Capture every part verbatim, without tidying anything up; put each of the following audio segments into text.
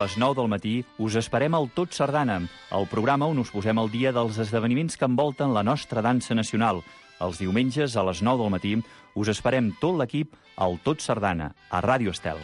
A les nou del matí us esperem al Tot Sardana, el programa on us posem al dia dels esdeveniments que envolten la nostra dansa nacional. Els diumenges a les nou del matí us esperem tot l'equip al Tot Sardana, a Ràdio Estel.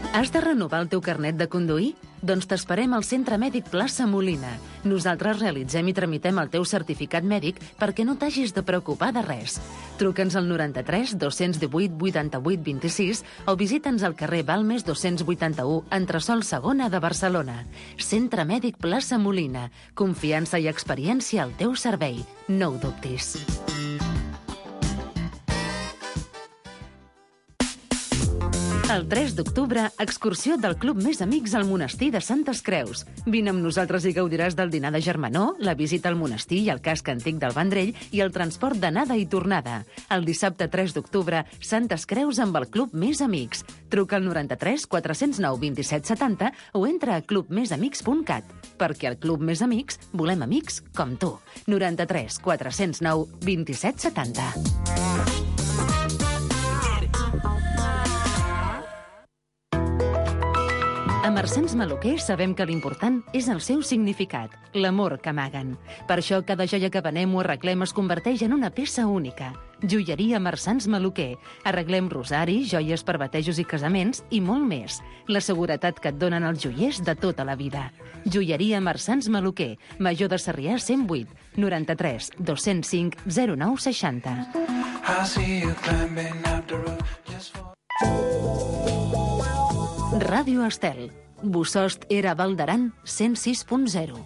Has de renovar el teu carnet de conduir? Doncs t'esperem al Centre Mèdic Plaça Molina. Nosaltres realitzem i tramitem el teu certificat mèdic perquè no t'hagis de preocupar de res. Truca'ns al noranta-tres dos-cents divuit vuitanta-vuit vint-i-sis o visita'ns al carrer Balmes dos-cents vuitanta-u, entresòl segona de Barcelona. Centre Mèdic Plaça Molina. Confiança i experiència al teu servei. No ho dubtis. El tres d'octubre, excursió del Club Més Amics al monestir de Santes Creus. Vine amb nosaltres i gaudiràs del dinar de germanor, la visita al monestir i al casc antic del Vendrell i el transport d'anada i tornada. El dissabte tres d'octubre, Santes Creus amb el Club Més Amics. Truca al noranta-tres quatre-cents nou vint-i-set setanta o entra a club més amics punt cat. Perquè al Club Més Amics volem amics com tu. noranta-tres quatre-cents nou vint-i-set setanta. A Marsans Maluquer sabem que l'important és el seu significat, l'amor que amaguen. Per això cada joia que venem o arreglem es converteix en una peça única. Joieria Marsans Maluquer. Arreglem rosaris, joies per batejos i casaments i molt més. La seguretat que et donen els joiers de tota la vida. Joieria Marsans Maluquer. Major de Sarrià cent vuit, noranta-tres dos-cents cinc zero nou seixanta. Ràdio Estel. Bosost era Val d'Aran cent sis punt zero.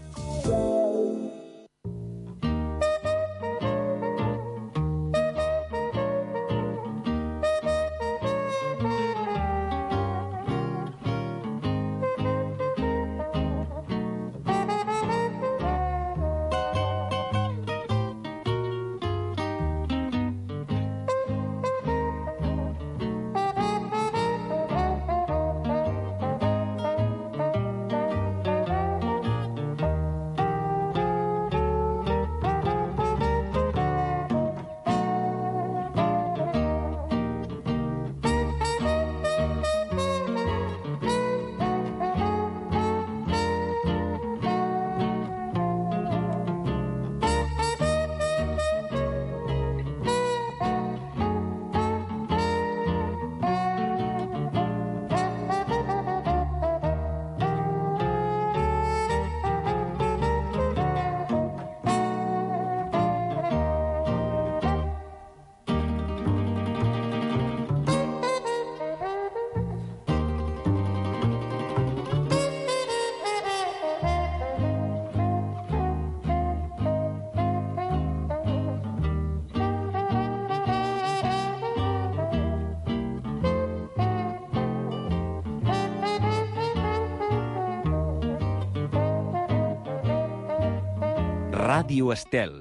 Ràdio Estel.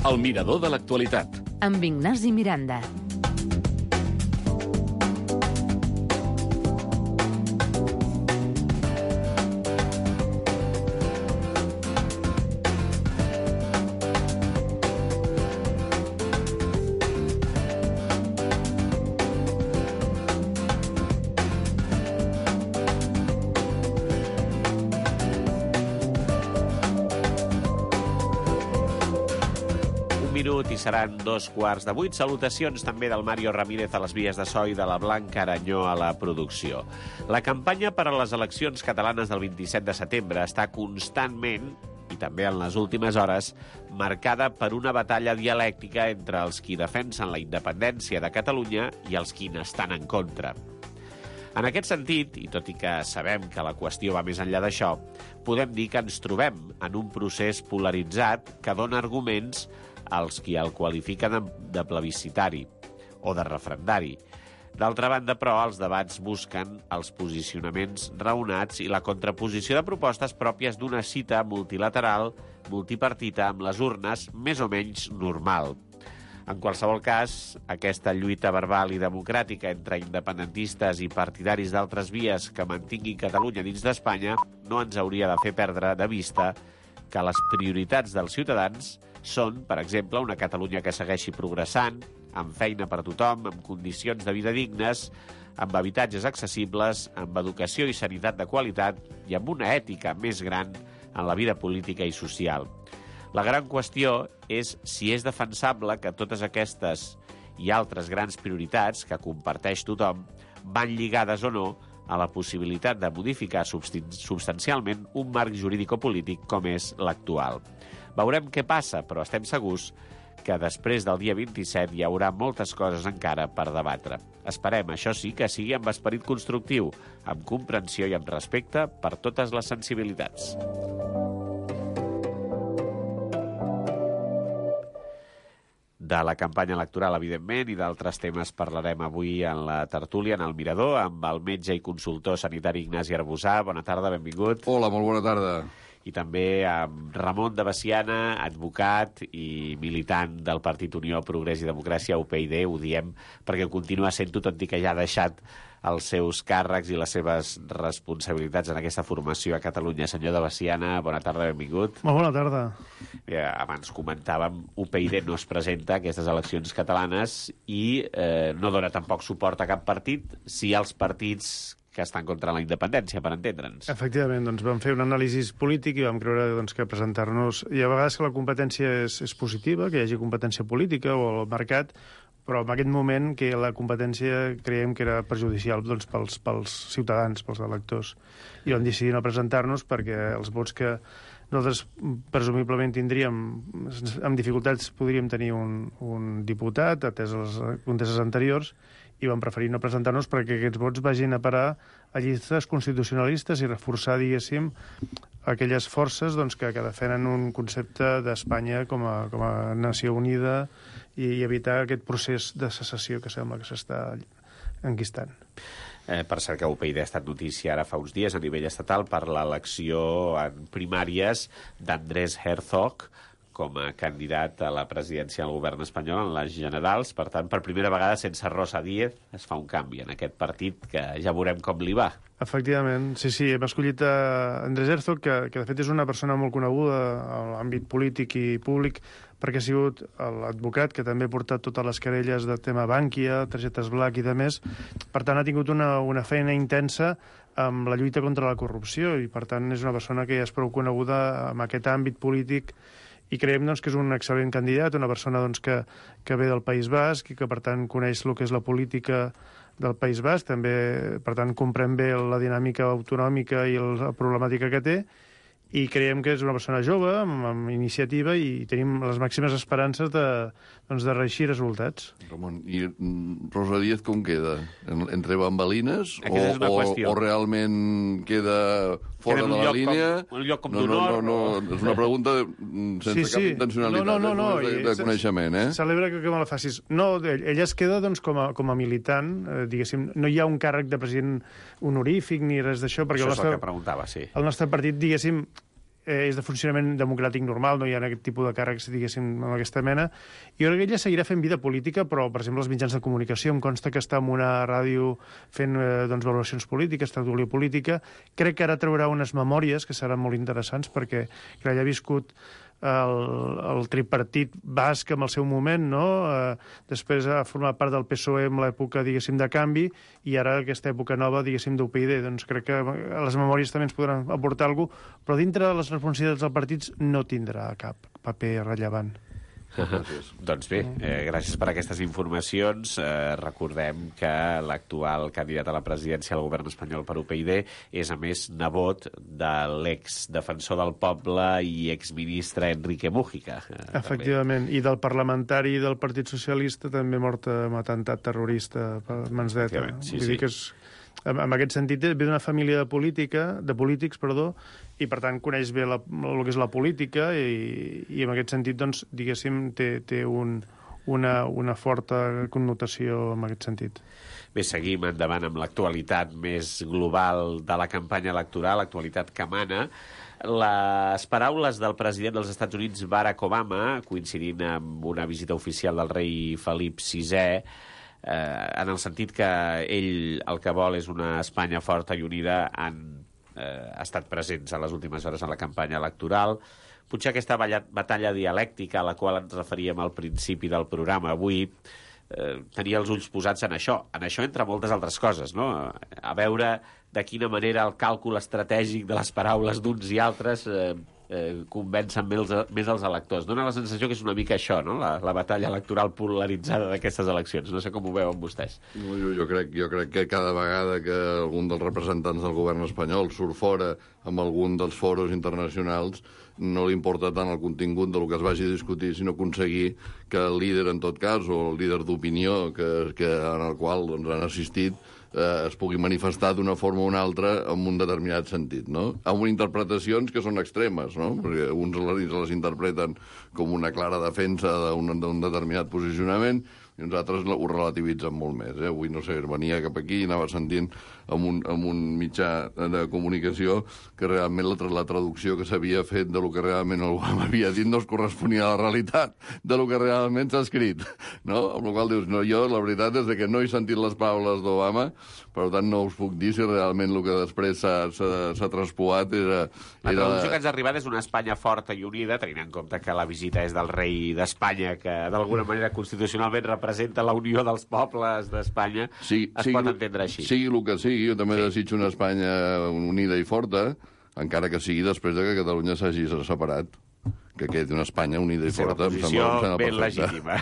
El mirador de l'actualitat. Amb Ignasi Miranda. I seran dos quarts de vuit. Salutacions també del Mario Ramírez a les vies de so i de la Blanca Aranyó a la producció. La campanya per a les eleccions catalanes del vint-i-set de setembre està constantment, i també en les últimes hores, marcada per una batalla dialèctica entre els qui defensen la independència de Catalunya i els qui n'estan en contra. En aquest sentit, i tot i que sabem que la qüestió va més enllà d'això, podem dir que ens trobem en un procés polaritzat que dona arguments als qui el qualifiquen de plebiscitari o de referendari. D'altra banda, però, els debats busquen els posicionaments raonats i la contraposició de propostes pròpies d'una cita multilateral, multipartita, amb les urnes més o menys normal. En qualsevol cas, aquesta lluita verbal i democràtica entre independentistes i partidaris d'altres vies que mantinguin Catalunya dins d'Espanya no ens hauria de fer perdre de vista que les prioritats dels ciutadans són, per exemple, una Catalunya que segueixi progressant, amb feina per a tothom, amb condicions de vida dignes, amb habitatges accessibles, amb educació i sanitat de qualitat i amb una ètica més gran en la vida política i social. La gran qüestió és si és defensable que totes aquestes i altres grans prioritats que comparteix tothom van lligades o no a la possibilitat de modificar substancialment un marc jurídico-polític com és l'actual. Veurem què passa, però estem segurs que després del dia vint-i-set hi haurà moltes coses encara per debatre. Esperem, això sí, que sigui amb esperit constructiu, amb comprensió i amb respecte per totes les sensibilitats. De la campanya electoral, evidentment, i d'altres temes parlarem avui en la tertúlia, en el Mirador, amb el metge i consultor sanitari Ignasi Arbusà. Bona tarda, benvingut. Hola, molt bona tarda. I també amb Ramon de Veciana, advocat i militant del Partit Unió, Progrés i Democràcia, U P y D, ho diem perquè ho continua sent-ho, tot i que ja ha deixat els seus càrrecs i les seves responsabilitats en aquesta formació a Catalunya. Senyor de Veciana, bona tarda, benvingut. Molt bona tarda. Ja, abans comentàvem, U P y D no es presenta a aquestes eleccions catalanes i eh, no dona tampoc suport a cap partit, si els partits que estan contra la independència, per entendre'ns. Efectivament, doncs vam fer un anàlisi polític i vam creure doncs, que presentar-nos... Hi ha vegades que la competència és, és positiva, que hi hagi competència política o al mercat, però en aquest moment que la competència creiem que era perjudicial doncs, pels, pels ciutadans, pels electors. I vam decidir no presentar-nos perquè els vots que nosaltres presumiblement tindríem, amb dificultats podríem tenir un, un diputat, atès les conteses anteriors, i vam preferir no presentar-nos perquè aquests vots vagin a parar a llistes constitucionalistes i reforçar, diguéssim, aquelles forces doncs, que, que defenen un concepte d'Espanya com, a, com a nació unida i, i evitar aquest procés de secessió que sembla que s'està enquistant. Eh, per cert que U P y D ha estat notícia ara fa uns dies a nivell estatal per l'elecció en primàries d'Andrés Herzog com a candidat a la presidència del govern espanyol en les generals. Per tant, per primera vegada, sense Rosa Díez, es fa un canvi en aquest partit que ja veurem com li va. Efectivament, sí, sí, hem escollit a Andrés Herzog, que, que de fet és una persona molt coneguda a l'àmbit polític i públic, perquè ha sigut l'advocat que també ha portat totes les querelles de tema Bankia, targetes Black i de més. Per tant, ha tingut una, una feina intensa amb la lluita contra la corrupció i, per tant, és una persona que ja és prou coneguda en aquest àmbit polític i creiem doncs, que és un excel·lent candidat, una persona doncs, que, que ve del País Basc i que, per tant, coneix el que és la política del País Basc, també, per tant, comprèn bé la dinàmica autonòmica i la problemàtica que té, i creiem que és una persona jove, amb, amb iniciativa, i tenim les màximes esperances de, doncs, de reeixir resultats. Ramon, i Rosa Díez com queda? Entre bambalines o, o, o realment queda fora queda de la línia? Com, un lloc com no, d'honor? No, no, no, és una pregunta sense sí, sí. cap intencionalitat, no, no, no, no, de, de coneixement, eh? Celebra que, que me la facis. No, ella es queda doncs, com, a, com a militant, eh, diguéssim, no hi ha un càrrec de president honorífic ni res d'això, perquè això el nostre, és el que preguntava, sí. El nostre partit, diguéssim, eh, és de funcionament democràtic normal, no hi ha aquest tipus de càrrecs, diguéssim, amb aquesta mena. I jo crec que ella seguirà fent vida política, però, per exemple, els mitjans de comunicació, em consta que està en una ràdio fent eh, doncs, valoracions polítiques, tertúlia política. Crec que ara traurà unes memòries que seran molt interessants, perquè que ella ha viscut el, el tripartit basc en el seu moment, no? Eh, després ha format part del P S O E en l'època, diguéssim, de canvi, i ara aquesta època nova, diguéssim, d'U P y D. Doncs crec que les memòries també ens podran aportar alguna cosa, però dintre de les responsabilitats dels partits no tindrà cap paper rellevant. Gràcies. Doncs bé, eh, gràcies per aquestes informacions. Eh, recordem que l'actual candidat a la presidència del govern espanyol per U P y D és, a més, nebot de l'exdefensor del poble i exministre Enrique Mújica. Eh, Efectivament, també. I del parlamentari del Partit Socialista també mort amb atemptat terrorista per mans d'ETA. Sí, Vull sí. dir que és, en, en aquest sentit, ve d'una família de política, de polítics, perdó, i per tant coneix bé la, el que és la política i, i en aquest sentit, doncs, diguéssim, té, té un, una, una forta connotació en aquest sentit. Bé, seguim endavant amb l'actualitat més global de la campanya electoral, l'actualitat que mana. Les paraules del president dels Estats Units, Barack Obama, coincidint amb una visita oficial del rei Felip sisè, eh, en el sentit que ell el que vol és una Espanya forta i unida, han eh, estat presents a les últimes hores en la campanya electoral. potser aquesta batalla dialèctica a la qual ens referíem al principi del programa avui eh, tenia els ulls posats en això, en això entre moltes altres coses, no? A veure de quina manera el càlcul estratègic de les paraules d'uns i altres eh, eh, convencen més, més els electors. Dóna la sensació que és una mica això, no? La, la batalla electoral polaritzada d'aquestes eleccions. No sé com ho veuen vostès. No, jo, jo, crec, jo crec que cada vegada que algun dels representants del govern espanyol surt fora amb algun dels foros internacionals no li importa tant el contingut del que es vagi a discutir, sinó aconseguir que el líder, en tot cas, o el líder d'opinió que, que, en el qual doncs, han assistit, eh, es pugui manifestar d'una forma o una altra en un determinat sentit, no? Amb interpretacions que són extremes, no? Perquè uns les, les interpreten com una clara defensa d'un determinat posicionament i uns altres ho relativitzen molt més. Eh? Avui, no sé, venia cap aquí i anava sentint amb un, amb un mitjà de comunicació que realment la, la traducció que s'havia fet de lo que realment Obama havia dit no es corresponia a la realitat de lo que realment s'ha escrit. No? Amb la qual dius, no, jo la veritat és que no he sentit les paraules d'Obama, per tant no us puc dir si realment el que després s'ha traspoat era... La traducció que ens ha arribat és una Espanya forta i unida, tenint en compte que la visita és del rei d'Espanya, que d'alguna manera constitucionalment representa la unió dels pobles d'Espanya, sí, es sigui, pot entendre així. Sigui el que sigui, jo també sí. desitjo una Espanya unida i forta, encara que sigui després de que Catalunya s'hagi separat, que quedi una Espanya unida i sí, forta. La posició ben legítima.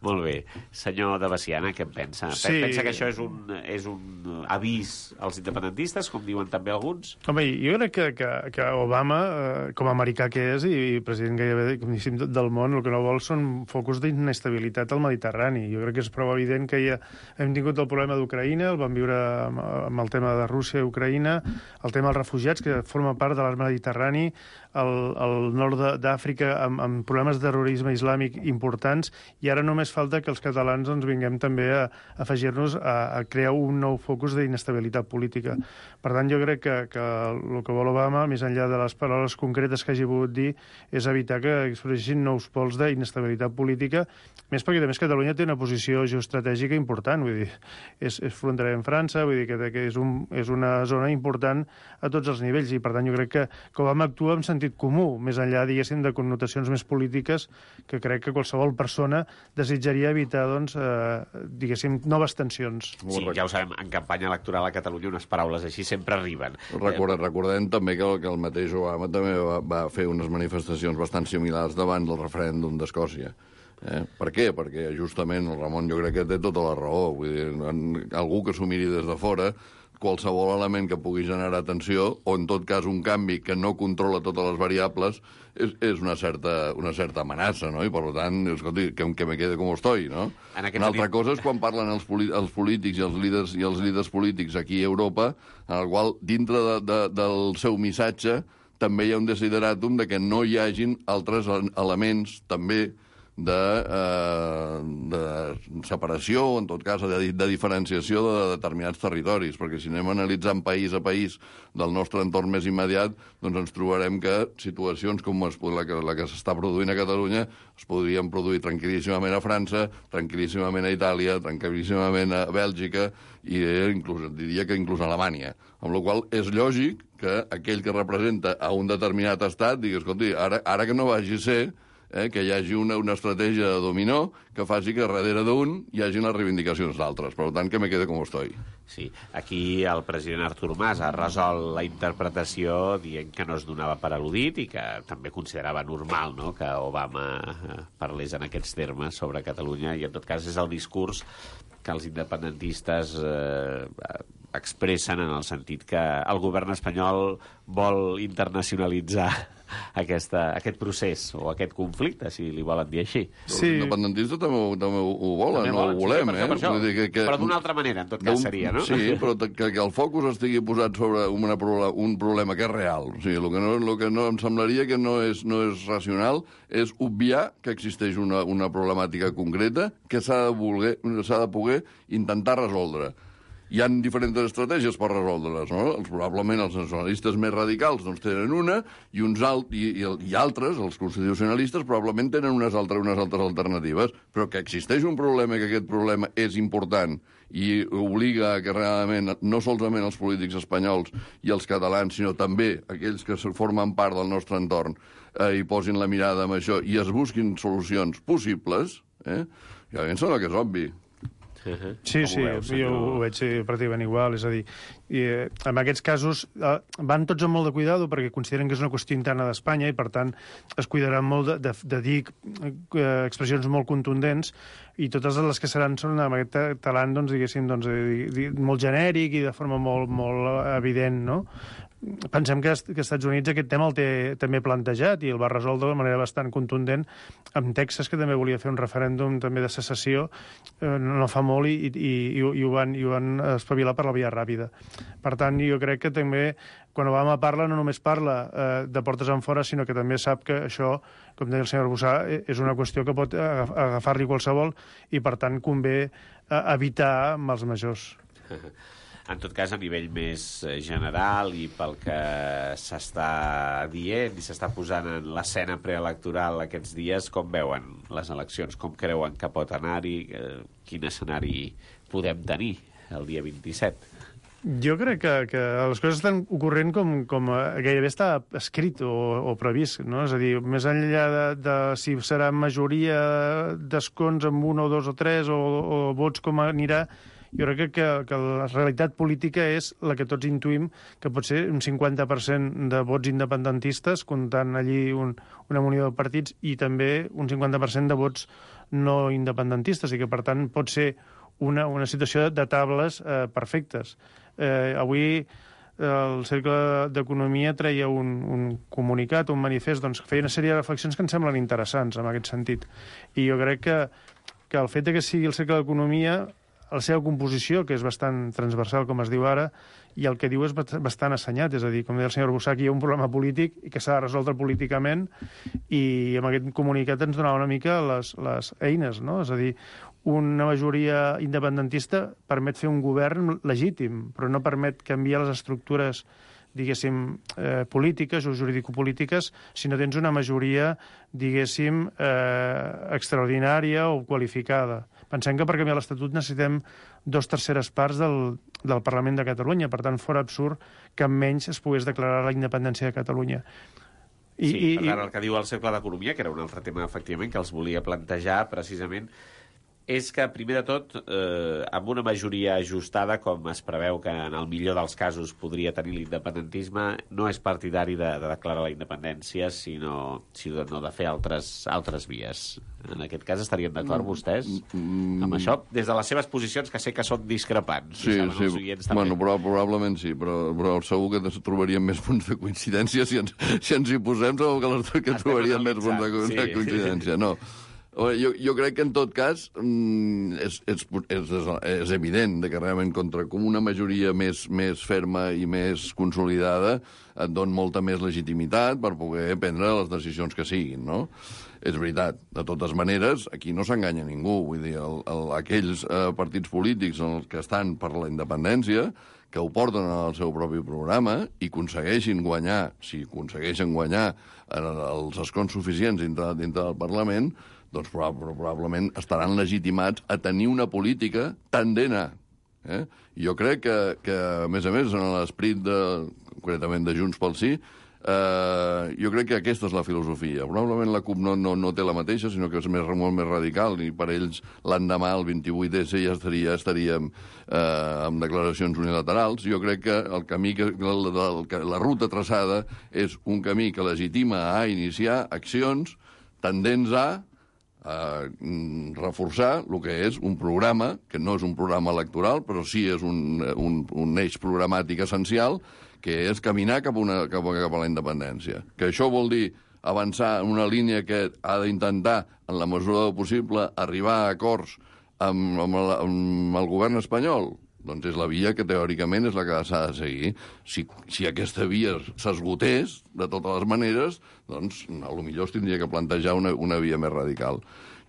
Molt bé. Senyor de Baciana, què en pensa? Sí. Pensa que això és un, és un avís als independentistes, com diuen també alguns? Home, jo crec que, que, que Obama, eh, com a americà que és, i president gairebé com del món, el que no vol són focus d'inestabilitat al Mediterrani. Jo crec que és prou evident que ja hem tingut el problema d'Ucraïna, el vam viure amb, amb el tema de Rússia i Ucraïna, el tema dels refugiats, que forma part de l'arc Mediterrani, el, el nord d'Àfrica amb, amb problemes de terrorisme islàmic importants, i ara només falta que els catalans doncs, vinguem també a, a afegir-nos a, a crear un nou focus d'inestabilitat política. Per tant, jo crec que, que el que vol Obama, més enllà de les paraules concretes que hagi volgut dir, és evitar que expressessin nous pols d'inestabilitat política, més perquè també Catalunya té una posició geoestratègica important, vull dir, és, és fronterer amb França, vull dir que, que és, un, és una zona important a tots els nivells, i per tant jo crec que, que Obama actua en sentit comú, més enllà, diguéssim, de connotacions més polítiques que crec que qualsevol persona desitjaria evitar, doncs, eh, diguéssim, noves tensions. Sí, ja ho sabem, en campanya electoral a Catalunya unes paraules així sempre arriben. Recordem, recordem també que el, que el mateix Obama també va, va fer unes manifestacions bastant similars davant del referèndum d'Escòcia. Eh? Per què? Perquè justament el Ramon jo crec que té tota la raó. Vull dir, en, algú que s'ho miri des de fora, qualsevol element que pugui generar tensió, o en tot cas un canvi que no controla totes les variables, és, és una, certa, una certa amenaça, no? I per tant, escolti, que, que me quede com estoy, no? Una altra sentit... cosa és quan parlen els, els polítics i els líders i els líders polítics aquí a Europa, en el qual, dintre de, de, del seu missatge, també hi ha un desideràtum de que no hi hagin altres elements també de, eh, de separació, en tot cas, de, de diferenciació de determinats territoris, perquè si anem analitzant país a país del nostre entorn més immediat, doncs ens trobarem que situacions com es, la que, la que s'està produint a Catalunya es podrien produir tranquil·líssimament a França, tranquil·líssimament a Itàlia, tranquil·líssimament a Bèlgica i eh, inclús, diria que inclús a Alemanya. Amb la qual és lògic que aquell que representa a un determinat estat digui, escolti, ara, ara que no vagi a ser Eh, que hi hagi una, una estratègia de dominó que faci que darrere d'un hi hagi les reivindicacions d'altres. Per tant, que me quede com estoy. Sí, aquí el president Artur Mas ha resolt la interpretació dient que no es donava per al·ludit i que també considerava normal, no?, que Obama parlés en aquests termes sobre Catalunya, i en tot cas és el discurs que els independentistes eh, expressen en el sentit que el govern espanyol vol internacionalitzar aquesta, aquest procés o aquest conflicte, si li volen dir així. Sí. Els independentistes també, també ho volen, també no ho volem, sí, per eh? Per això, Vull dir que, que, però d'una altra manera, en tot cas, seria, no? Sí, però que, que el focus estigui posat sobre una, un problema que és real. O sigui, el que no, el que no em semblaria que no és, no és racional és obviar que existeix una, una problemàtica concreta que s'ha de, voler, s'ha de poder intentar resoldre. hi ha diferents estratègies per resoldre-les, no? Els, probablement els nacionalistes més radicals doncs, tenen una i, uns alt, i, i, i altres, els constitucionalistes, probablement tenen unes altres, unes altres alternatives, però que existeix un problema i que aquest problema és important i obliga a que realment, no solament els polítics espanyols i els catalans, sinó també aquells que formen part del nostre entorn eh, hi posin la mirada amb això i es busquin solucions possibles, eh? Ja em sembla que és obvi. Sí, sí, veus, jo ho veig pràcticament igual, és a dir, i, eh, en aquests casos eh, van tots amb molt de cuidado perquè consideren que és una qüestió interna d'Espanya i, per tant, es cuidaran molt de, de, de dir eh, expressions molt contundents i totes les que seran són amb aquest talant, doncs, diguéssim, doncs, eh, molt genèric i de forma molt, molt evident, no? Pensem que, que als Estats Units aquest tema el té també plantejat i el va resoldre de manera bastant contundent amb Texas, que també volia fer un referèndum també de secessió, eh, no fa molt, i, i, i, i, ho van, i ho van espavilar per la via ràpida. Per tant, jo crec que també, quan Obama parla, no només parla eh, de portes enfora, sinó que també sap que això, com deia el senyor Arbussà, és una qüestió que pot agafar-li qualsevol i, per tant, convé eh, evitar mals majors. En tot cas, a nivell més general i pel que s'està dient i s'està posant en l'escena preelectoral aquests dies, com veuen les eleccions? Com creuen que pot anar-hi? Quin escenari podem tenir el dia vint-i-set? Jo crec que, que les coses estan ocorrent com, com gairebé està escrit o, o previst, no? És a dir, més enllà de, de si serà majoria d'escons amb un o dos o tres o, o vots com anirà, jo crec que, que la realitat política és la que tots intuïm, que pot ser un cinquanta per cent de vots independentistes, comptant allí un, una munió de partits, i també un cinquanta per cent de vots no independentistes, i que, per tant, pot ser una, una situació de tables eh, perfectes. Eh, avui el Cercle d'Economia treia un, un comunicat, un manifest, doncs feia una sèrie de reflexions que em semblen interessants en aquest sentit. I jo crec que, que el fet que sigui el Cercle d'Economia, la seva composició, que és bastant transversal, com es diu ara, i el que diu és bastant assenyat. És a dir, com deia el senyor Arbussà, hi ha un problema polític i que s'ha de resoldre políticament, i amb aquest comunicat ens donava una mica les, les eines, no? És a dir, una majoria independentista permet fer un govern legítim, però no permet canviar les estructures, diguéssim, eh, polítiques o juridicopolítiques, si no tens una majoria, diguéssim, eh, extraordinària o qualificada. Pensem que per canviar l'Estatut necessitem dos terceres parts del, del Parlament de Catalunya. Per tant, fora absurd que menys es pogués declarar la independència de Catalunya. I, sí, i, per tant, el que diu el Cercle d'Economia, que era un altre tema, efectivament, que els volia plantejar precisament, és que, primer de tot, eh, amb una majoria ajustada, com es preveu que en el millor dels casos podria tenir l'independentisme, no és partidari de, de declarar la independència, sinó, sinó no de fer altres, altres vies. En aquest cas estarien d'acord vostès mm, amb això? Des de les seves posicions, que sé que són discrepants. Sí, sí. Bueno, però, probablement sí, però, però segur que trobaríem més punts de coincidència. Si ens, si ens hi posem, segur que, les, que trobaríem més punts de, sí. de coincidència. No. Jo, jo crec que, en tot cas, és, és, és, és evident que realment contra com una majoria més, més ferma i més consolidada et dona molta més legitimitat per poder prendre les decisions que siguin, no? És veritat. De totes maneres, aquí no s'enganya ningú. Vull dir, el, el, aquells eh, partits polítics en els que estan per la independència, que ho porten al seu propi programa i aconsegueixin guanyar, si aconsegueixen guanyar els escons suficients dintre, dintre del Parlament, doncs probablement estaran legitimats a tenir una política tendent a. Eh? I jo crec que, que, a més a més, en l'esperit de, concretament de Junts pel Sí, eh, jo crec que aquesta és la filosofia. Probablement la CUP no, no, no té la mateixa, sinó que és més, molt més radical, i per ells l'endemà, el vint-i-vuit esse, ja estaria, estaríem eh, amb declaracions unilaterals. Jo crec que el camí, que, la, la, la ruta traçada és un camí que legitima a iniciar accions tendents a a reforçar el que és un programa, que no és un programa electoral, però sí és un, un, un eix programàtic essencial, que és caminar cap a, una, cap a, cap a la independència. Que això vol dir avançar en una línia que ha d'intentar, en la mesura del possible, arribar a acords amb, amb, el, amb el govern espanyol. doncs és la via que teòricament és la que s'ha de seguir. Si, si aquesta via s'esgotés, de totes les maneres, doncs potser es tindria que plantejar una, una via més radical.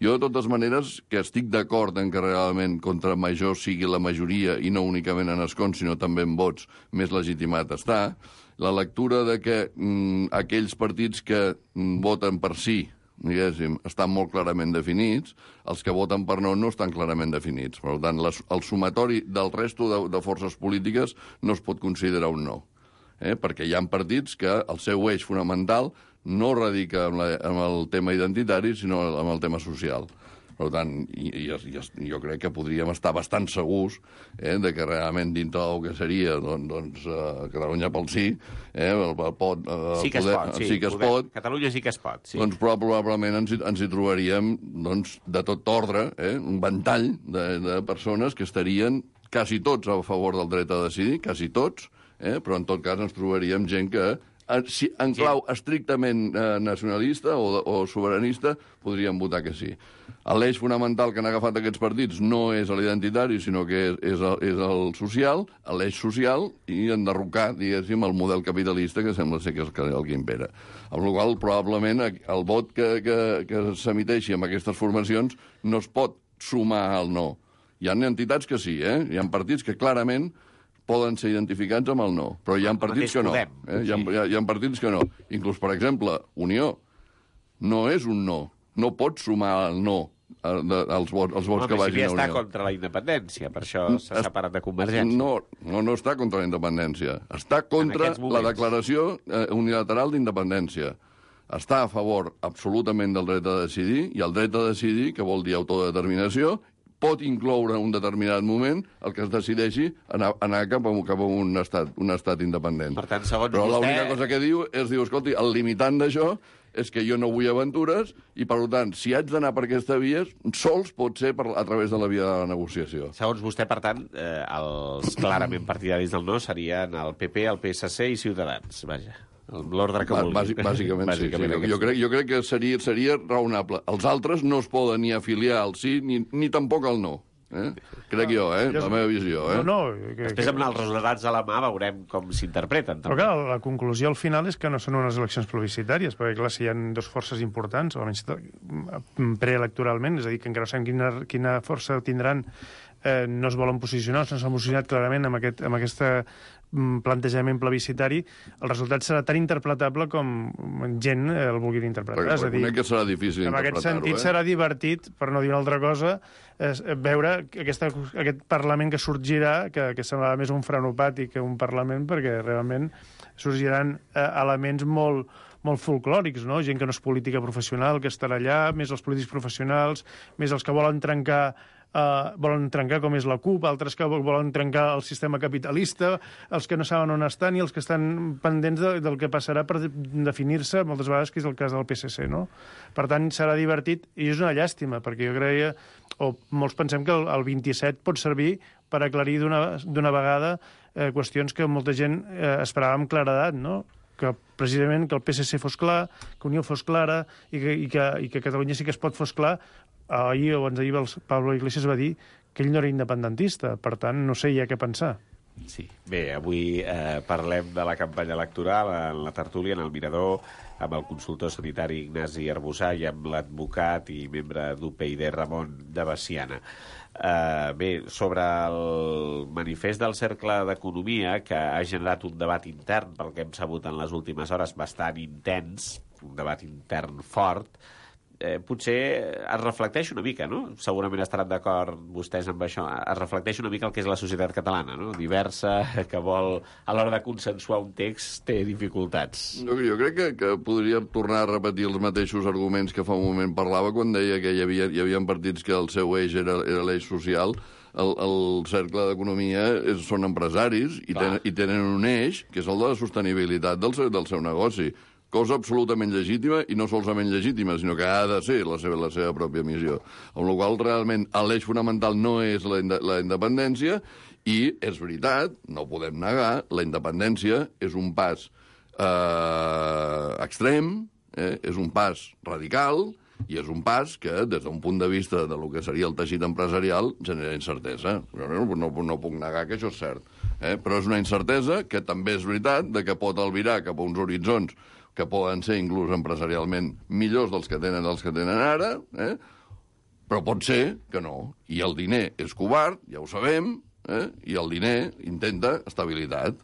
Jo, de totes maneres, que estic d'acord en que realment contra major sigui la majoria, i no únicament en escons, sinó també en vots, més legitimat està, la lectura de que mm, aquells partits que mm, voten per sí, diguéssim, estan molt clarament definits, els que voten per no no estan clarament definits. Per tant, les, el sumatori del resto de, de forces polítiques no es pot considerar un no. Eh? Perquè hi ha partits que el seu eix fonamental no radica en, la, en el tema identitari, sinó en el tema social. Per tant, i, i, i jo crec que podríem estar bastant segurs eh, de que realment dintre del que seria doncs, doncs uh, Catalunya pel sí, eh, el, el pot, uh, sí que poder, es pot, sí. sí que es Poder, pot. Catalunya sí que es pot, sí. Doncs probablement ens, ens hi trobaríem doncs, de tot ordre, eh, un ventall de, de persones que estarien quasi tots a favor del dret a decidir, quasi tots, eh, però en tot cas ens trobaríem gent que si en clau estrictament eh, nacionalista o, o soberanista, podríem votar que sí. L'eix fonamental que han agafat aquests partits no és l'identitari, sinó que és, és, el, és el social, l'eix social, i enderrocar, diguéssim, el model capitalista que sembla ser que és el que impera. Amb la qual probablement el vot que, que, que s'emiteixi amb aquestes formacions no es pot sumar al no. Hi ha entitats que sí, eh? Hi ha partits que clarament poden ser identificats amb el no, però hi ha partits que no. Eh? Hi, ha, hi, ha, hi ha partits que no. Inclús, per exemple, Unió no és un no. No pot sumar el no als vots, als vots no, que vagin si a Unió. Està contra la independència, per això s'ha separat de Convergència. No, no, no està contra la independència. Està contra la declaració eh, unilateral d'independència. Està a favor absolutament del dret a decidir, i el dret a decidir, que vol dir autodeterminació, pot incloure en un determinat moment el que es decideixi anar, anar cap, a, cap a un estat, un estat independent. Per tant, segons Però vostè... l'única cosa que diu és, diu, escolti, el limitant d'això és que jo no vull aventures i, per tant, si haig d'anar per aquesta via, sols pot ser per, a través de la via de la negociació. Segons vostè, per tant, eh, els clarament partidaris del no serien el P P, el P S C i Ciutadans, vaja. L'ordre que vulgui. Bàsic, bàsicament, bàsicament, sí. sí. Jo, crec, jo crec que seria, seria raonable. Els altres no es poden ni afiliar al sí ni, ni tampoc al no. Eh? Crec jo, eh? La meva visió. Eh? No, no, que, Després, amb els resultats a la mà, veurem com s'interpreten. Però clar, la conclusió al final és que no són unes eleccions plebiscitàries, perquè clar, si hi ha dues forces importants, almenys preelectoralment, és a dir, que encara no sabem quina, quina força tindran, eh, no es volen posicionar, no s'han posicionat clarament amb, aquest, amb aquesta plantejament plebiscitari, el resultat serà tan interpretable com gent el vulgui interpretar. Perquè, és a dir, que serà difícil en aquest sentit eh? serà divertit, per no dir una altra cosa, és veure aquesta, aquest Parlament que sorgirà, que, que semblarà més un frenopati que un Parlament, perquè realment sorgiran eh, elements molt molt folclòrics, no? Gent que no és política professional, que estarà allà, més els polítics professionals, més els que volen trencar Uh, volen trencar com és la CUP, altres que volen trencar el sistema capitalista, els que no saben on estan i els que estan pendents de, del que passarà per definir-se moltes vegades, que és el cas del P S C, no? Per tant, serà divertit, i és una llàstima, perquè jo creia, o molts pensem que el, el vint-i-set pot servir per aclarir d'una vegada eh, qüestions que molta gent eh, esperava amb claredat, no? Que precisament que el P S C fos clar, que Unió fos clara i que, i que, i que Catalunya sí que es pot fos clar. Ahir o abans d'ahir el Pablo Iglesias va dir que ell no era independentista, per tant, no sé ja què pensar. Sí. Bé, avui eh, parlem de la campanya electoral en la tertúlia, en el Mirador, amb el consultor sanitari Ignasi Arbussà i amb l'advocat i membre d'U P I D Ramon de Veciana. Uh, bé, sobre el manifest del Cercle d'Economia, que ha generat un debat intern, pel que hem sabut en les últimes hores, bastant intens, un debat intern fort, eh, potser es reflecteix una mica, no? Segurament estaran d'acord vostès amb això. Es reflecteix una mica el que és la societat catalana, no? Diversa, que vol, a l'hora de consensuar un text, té dificultats. Jo, jo crec que, que podria tornar a repetir els mateixos arguments que fa un moment parlava quan deia que hi havia, hi havia partits que el seu eix era, era l'eix social. El, el Cercle d'Economia és, són empresaris i tenen, i tenen un eix que és el de la sostenibilitat del seu, del seu negoci. Cosa absolutament legítima, i no solament legítima, sinó que ha de ser la seva, la seva pròpia missió. Amb la qual realment l'eix fonamental no és la, la independència, i és veritat, no podem negar, la independència és un pas eh, extrem, eh, és un pas radical, I és un pas que, des d'un punt de vista de lo que seria el teixit empresarial, genera incertesa. Jo no, no, no puc negar que això és cert. Eh? Però és una incertesa que també és veritat de que pot albirar cap a uns horitzons que poden ser inclús empresarialment millors dels que tenen els que tenen ara, eh? Però pot ser que no. I el diner és covard, ja ho sabem, eh? I el diner intenta estabilitat.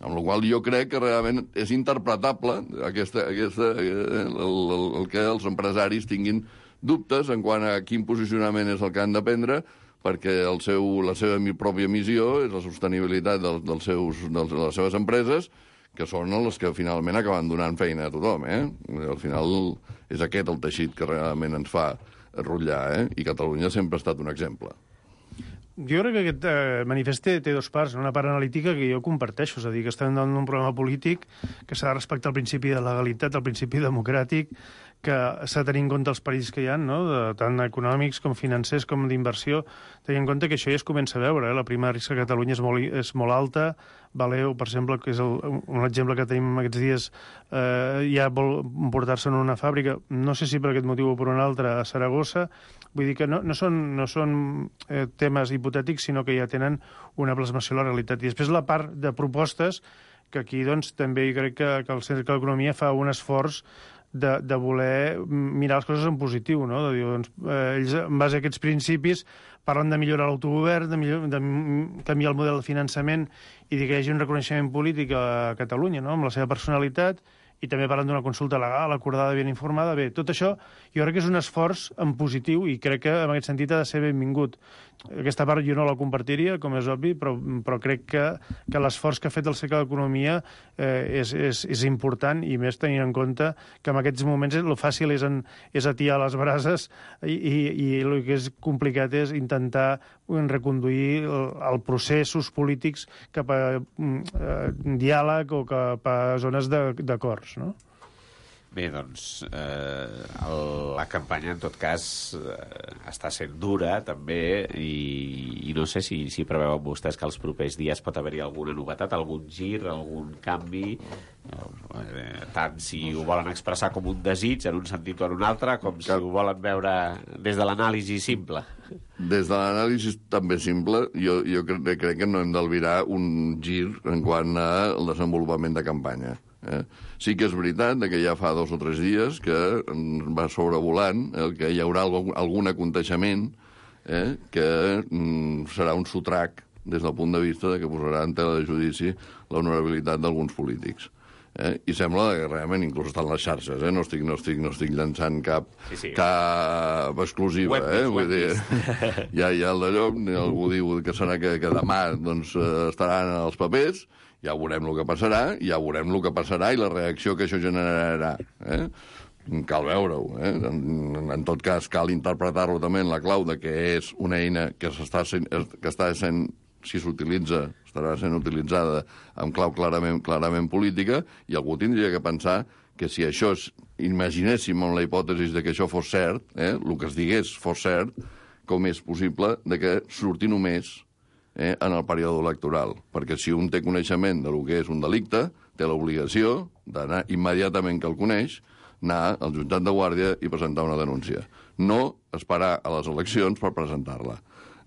Amb la qual jo crec que realment és interpretable aquesta, aquesta, el, el, el que els empresaris tinguin dubtes en quant a quin posicionament és el que han de prendre, perquè el seu, la seva pròpia missió és la sostenibilitat dels, dels seus, dels, de les seves empreses, que són les que finalment acaben donant feina a tothom. Eh? Al final és aquest el teixit que realment ens fa rotllar, eh? I Catalunya sempre ha estat un exemple. Jo crec que aquest eh, manifest té, té dos parts. Una part analítica que jo comparteixo, és a dir, que estem en un problema polític que s'ha de respectar el principi de legalitat, el principi democràtic, que s'ha de tenir en compte els perills que hi ha, no? De, tant econòmics com financers com d'inversió, tenint en compte que això ja es comença a veure. Eh? La prima de risc a Catalunya és molt, és molt alta. Valeo, per exemple, que és el, un exemple que tenim aquests dies, eh, ja vol portar-se en una fàbrica, no sé si per aquest motiu o per un altre, a Saragossa. Vull dir que no, no són, no són eh, temes hipotètics, sinó que ja tenen una plasmació a la realitat. I després la part de propostes, que aquí doncs, també crec que, que el Cercle d'Economia fa un esforç de, de voler mirar les coses en positiu, no? De dir, doncs, eh, ells, en base a aquests principis, parlen de millorar l'autogovern, de, millor, de canviar el model de finançament i de que hi hagi un reconeixement polític a Catalunya, no? Amb la seva personalitat, i també parlen d'una consulta legal, acordada, ben informada. Bé, tot això jo crec que és un esforç en positiu i crec que en aquest sentit ha de ser benvingut. Aquesta part jo no la compartiria, com és obvi, però, però crec que, que l'esforç que ha fet el Cercle d'Economia eh, és, és, és important, i més tenint en compte que en aquests moments el fàcil és, en, és atiar les brases i, i, i el que és complicat és intentar reconduir el, el processos polítics cap a eh, diàleg o cap a zones d'acords, no? Bé, doncs, eh, el, la campanya, en tot cas, eh, està sent dura, també, i, i no sé si, si preveuen vostès que els propers dies pot haver-hi alguna novetat, algun gir, algun canvi, eh, tant si ho volen expressar com un desig en un sentit o en un altre, com si ho volen veure des de l'anàlisi simple. Des de l'anàlisi també simple, jo, jo crec, crec que no hem d'albirar un gir en quant al desenvolupament de campanya. Eh? Sí que és veritat que ja fa dos o tres dies que va sobrevolant el que hi haurà algun, algun aconteixement eh, que mm, serà un sotrac des del punt de vista de que posarà en tela de judici l'honorabilitat d'alguns polítics. Eh? I sembla que realment inclús estan les xarxes, eh? no, estic, no, estic, no estic llançant cap, sí, sí. cap exclusiva. Eh? Vull dir, ja, ja el d'allò, algú diu que serà que, que demà doncs, estaran els papers, ja veurem el que passarà, ja veurem el que passarà i la reacció que això generarà. Eh? Cal veure-ho. Eh? En, en tot cas, cal interpretar-lo també en la clau de que és una eina que, sent, que està sent, si s'utilitza, estarà sent utilitzada amb clau clarament, clarament política, i algú tindria que pensar que si això, és, imaginéssim amb la hipòtesi de que això fos cert, eh? el que es digués fos cert, com és possible de que surti només Eh, en el període electoral, perquè si un té coneixement de lo que és un delicte, té l'obligació d'anar immediatament que el coneix, anar al jutjat de guàrdia i presentar una denúncia. No esperar a les eleccions per presentar-la.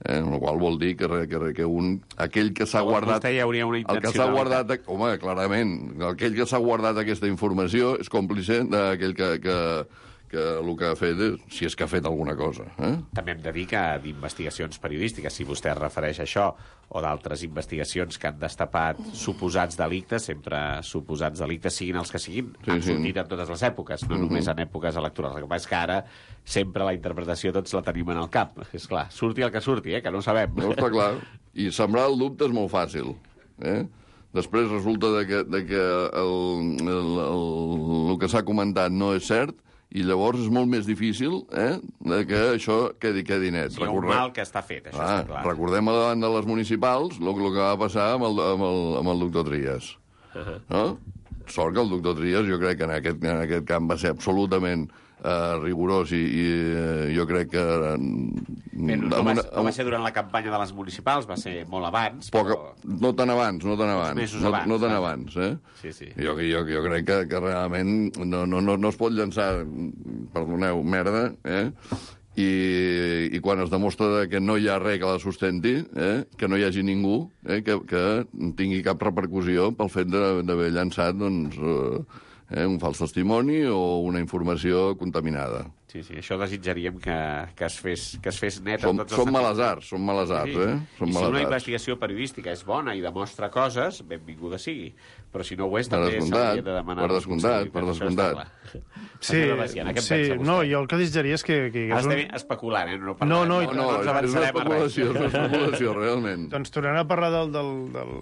Eh, el qual vol dir que, que, que un, aquell que s'ha guardat... Vostè hi hauria una el que s'ha guardat, home, clarament, aquell que s'ha guardat aquesta informació és còmplice d'aquell que... que que el que ha fet, és, si és que ha fet alguna cosa. Eh? També hem de dir que d'investigacions periodístiques, si vostè es refereix a això, o d'altres investigacions que han destapat suposats delictes, sempre suposats delictes, siguin els que siguin, sí, han sortit sí. en totes les èpoques, no uh-huh. només en èpoques electorals. El que passa és que ara sempre la interpretació tots la tenim en el cap. És clar, surti el que surti, eh? Que no ho sabem. No, està clar. I sembrar el dubte és molt fàcil. Eh? Després resulta de que, de que el, el, el, el que s'ha comentat no és cert, i llavors és molt més difícil eh, que això quedi, quedi net. Sí, Recordem... un mal que està fet, això ah, està clar. Recordem a davant de les municipals el, el que va passar amb el, amb el, amb el doctor Trias. Uh-huh. No? Sort que el doctor Trias, jo crec que en aquest, en aquest camp va ser absolutament uh, rigorós i, i uh, jo crec que... Bé, no, no, va, no va ser durant la campanya de les municipals, va ser molt abans, Poca, però... No tan abans, no tan abans. No, abans, no tan eh? abans, eh? Sí, sí. Jo, jo, jo crec que, que realment no, no, no, no es pot llançar, perdoneu, merda, eh? I, i quan es demostra que no hi ha res que la sustenti, eh? Que no hi hagi ningú eh? que, que tingui cap repercussió pel fet d'haver llançat doncs, eh? un fals testimoni o una informació contaminada. Sí, sí, això desitjaríem que, que, es, fes, que es fes net. Som, en tots els som sentits. males arts, som males arts, sí. eh? Som I si males una arts. investigació periodística és bona i demostra coses, benvinguda sigui. Però si no ho és, Per també descomptat, s'hauria de demanar... per descomptat, per descomptat. Sí, sí, no, jo el que desitjaria és que... que Ara un... estem especulant, eh? No, no, no, No, no, és una especulació, és una especulació, realment. Doncs tornant a parlar del, del, del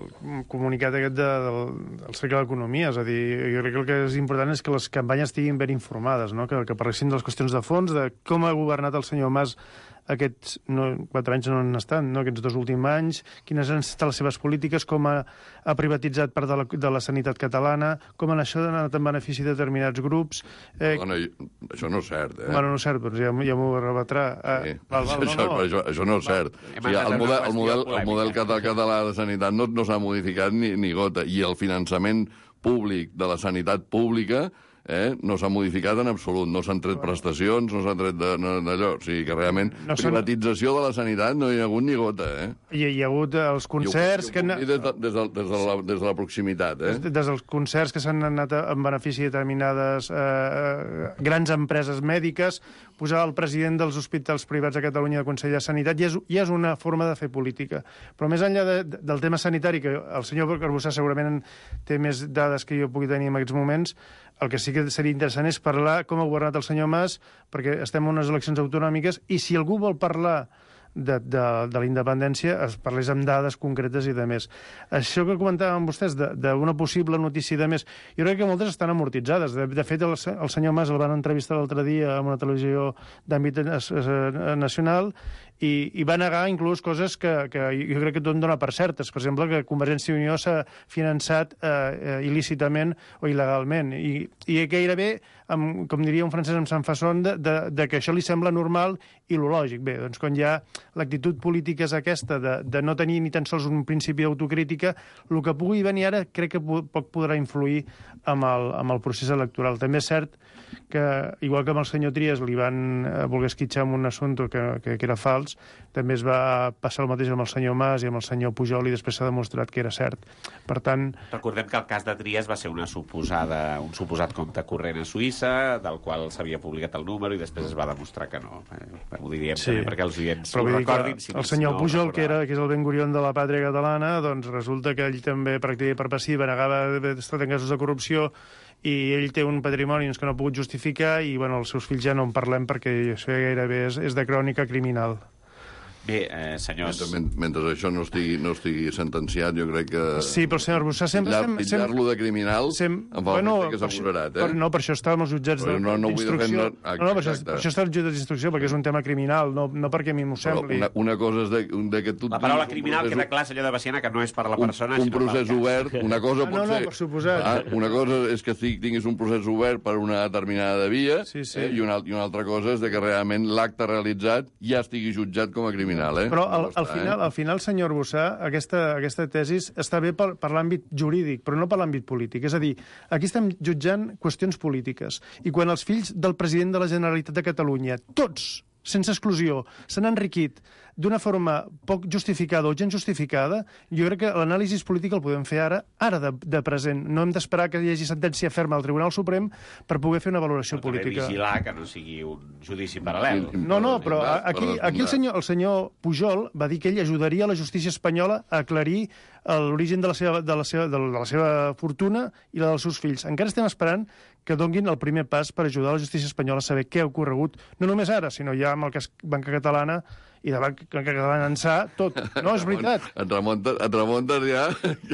comunicat aquest de, del, del Cercle d'Economia, és a dir, jo crec que el que és important és que les campanyes estiguin ben informades, no? que, que parlessin de les qüestions de fons, de com ha governat el senyor Mas aquests no, quatre anys no han estat, no? Aquests dos últims anys, quines han estat les seves polítiques, com ha, ha privatitzat part de la, de la sanitat catalana, com en això ha anat en benefici de determinats grups... Eh... Dona, això no és cert, eh? Bueno, no és cert, doncs ja, ja m'ho rebatrà. Sí. Eh, val, val, això, no, no. això, això no és cert. O sigui, el, model, el, model, el model català de sanitat no, no s'ha modificat ni, ni gota, i el finançament públic de la sanitat pública Eh? no s'ha modificat en absolut, no s'han tret prestacions, no s'han tret d'allò, o sigui que realment no privatització de la sanitat no hi ha hagut ni gota, eh? Hi, hi ha hagut els concerts... I ho, i ho que... des, de, des, de, des, de la, des de la proximitat, eh? Des, des dels concerts que s'han anat en benefici de determinades eh, grans empreses mèdiques, posar el president dels hospitals privats a Catalunya de Consell de Sanitat, ja és, ja és una forma de fer política. Però més enllà de, de, del tema sanitari, que el senyor Arbussà segurament té més dades que jo pugui tenir en aquests moments, el que sí que seria interessant és parlar com ha governat el senyor Mas, perquè estem en unes eleccions autonòmiques, i si algú vol parlar de, de, de la independència, es parlés amb dades concretes i de més. Això que comentàvem vostès, d'una possible notícia de més, jo crec que moltes estan amortitzades. De, de fet, el, el senyor Mas el van entrevistar l'altre dia en una televisió d'àmbit nacional i, i va negar inclús coses que, que jo crec que tot dona per certes. Per exemple, que Convergència i Unió s'ha finançat eh, il·lícitament o il·legalment. I, i gairebé, amb, com diria un francès amb Sant Fasson, de, de, de que això li sembla normal i lo lògic. Bé, doncs quan hi ha l'actitud política és aquesta, de, de no tenir ni tan sols un principi d'autocrítica, el que pugui venir ara crec que poc podrà influir amb el, amb el procés electoral. També és cert que, igual que amb el senyor Trias li van voler esquitxar amb un assumpte que, que, que era fals, també es va passar el mateix amb el senyor Mas i amb el senyor Pujol i després s'ha demostrat que era cert. Per tant... Recordem que el cas de Trias va ser una suposada, un suposat compte corrent a Suïssa, del qual s'havia publicat el número i després es va demostrar que no. Eh, ho diríem sí. també perquè els oients ho recordin. Si el senyor no Pujol, que, era, que és el Ben Gurion de la pàtria catalana, doncs resulta que ell també practica per passiva, negava d'haver estat en casos de corrupció i ell té un patrimoni que no ha pogut justificar i bueno, els seus fills ja no en parlem perquè això gairebé és, és de crònica criminal. Bé, eh, senyors... Mentre, mentre això no estigui, no estigui sentenciat, jo crec que... Sí, però el senyor Arbussà sempre... Titllar-lo de criminal sem, em fa bueno, que s'ha moderat, eh? Per, no, per això està amb els jutjats no, no d'instrucció. No, no, no, per això, per això està als jutjats d'instrucció, perquè és un tema criminal, no, no perquè a mi m'ho sembli. Una, una cosa és de, de que tu... La paraula criminal procés, queda clar, senyor de Baciana, que no és per la persona, un, un sinó procés obert, una cosa ah, pot no, no, ser... per suposat. Ah, una cosa és que tinguis un procés obert per una determinada via, sí, sí. Eh, i, una, i una altra cosa és de que realment l'acte realitzat ja estigui jutjat com a criminal, eh? Però al, al final, al final, senyor Arbussà, aquesta, aquesta tesis està bé per, per l'àmbit jurídic, però no per l'àmbit polític. És a dir, aquí estem jutjant qüestions polítiques. I quan els fills del president de la Generalitat de Catalunya, tots, sense exclusió, s'han enriquit d'una forma poc justificada o gens justificada, jo crec que l'anàlisi política el podem fer ara, ara de, de present. No hem d'esperar que hi hagi sentència ferma al Tribunal Suprem per poder fer una valoració però política. Però vigilar que no sigui un judici paral·lel. No, no, però aquí, aquí el, senyor, el senyor Pujol va dir que ell ajudaria la justícia espanyola a aclarir l'origen de, la seva, de, la seva, de la seva fortuna i la dels seus fills. Encara estem esperant que donguin el primer pas per ajudar la justícia espanyola a saber què ha ocorregut, no només ara, sinó ja amb el cas Banca Catalana i de Banca Catalana ençà, tot. No, és veritat. Et remuntes, et remuntes ja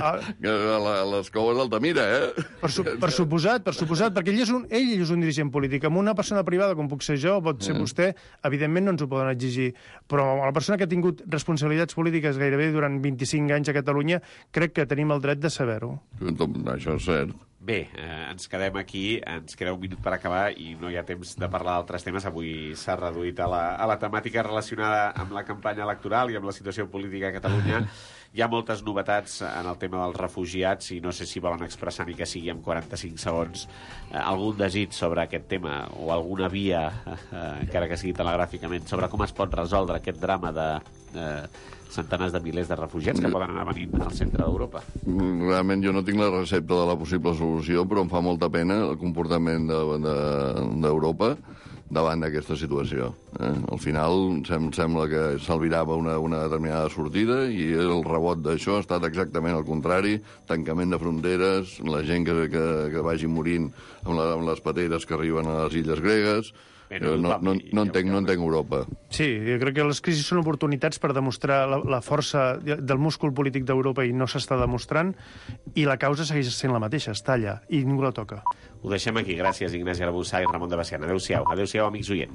ah. a les coves d'Altamira, eh? Per, su, per suposat, per suposat, perquè ell és, un, ell és un dirigent polític. Amb una persona privada, com puc ser jo, pot ser mm. vostè, evidentment no ens ho poden exigir. Però la persona que ha tingut responsabilitats polítiques gairebé durant vint-i-cinc anys a Catalunya, crec que tenim el dret de saber-ho. Això és cert. Bé, eh, ens quedem aquí, ens queda un minut per acabar i no hi ha temps de parlar d'altres temes. Avui s'ha reduït a la, a la temàtica relacionada amb la campanya electoral i amb la situació política a Catalunya. Hi ha moltes novetats en el tema dels refugiats i no sé si volen expressar ni que sigui en quaranta-cinc segons eh, algun desig sobre aquest tema o alguna via, eh, encara que sigui telegràficament, sobre com es pot resoldre aquest drama de... Eh, centenars de milers de refugiats que poden anar venint al centre d'Europa. Realment jo no tinc la recepta de la possible solució, però em fa molta pena el comportament d'Europa de, de, davant d'aquesta situació. Eh? Al final sem sembla que s'albirava una, una determinada sortida i el rebot d'això ha estat exactament el contrari, tancament de fronteres, la gent que, que, que vagi morint amb, la, amb les pateres que arriben a les illes gregues. Bé, no, no, no, no, entenc, no entenc Europa. Sí, jo crec que les crisis són oportunitats per demostrar la, la força del múscul polític d'Europa i no s'està demostrant, i la causa segueix sent la mateixa, està allà, i ningú la toca. Ho deixem aquí. Gràcies, Ignasi Arbussà i Ramon de Bessiana. Adéu-siau. Adéu-siau, amics oients.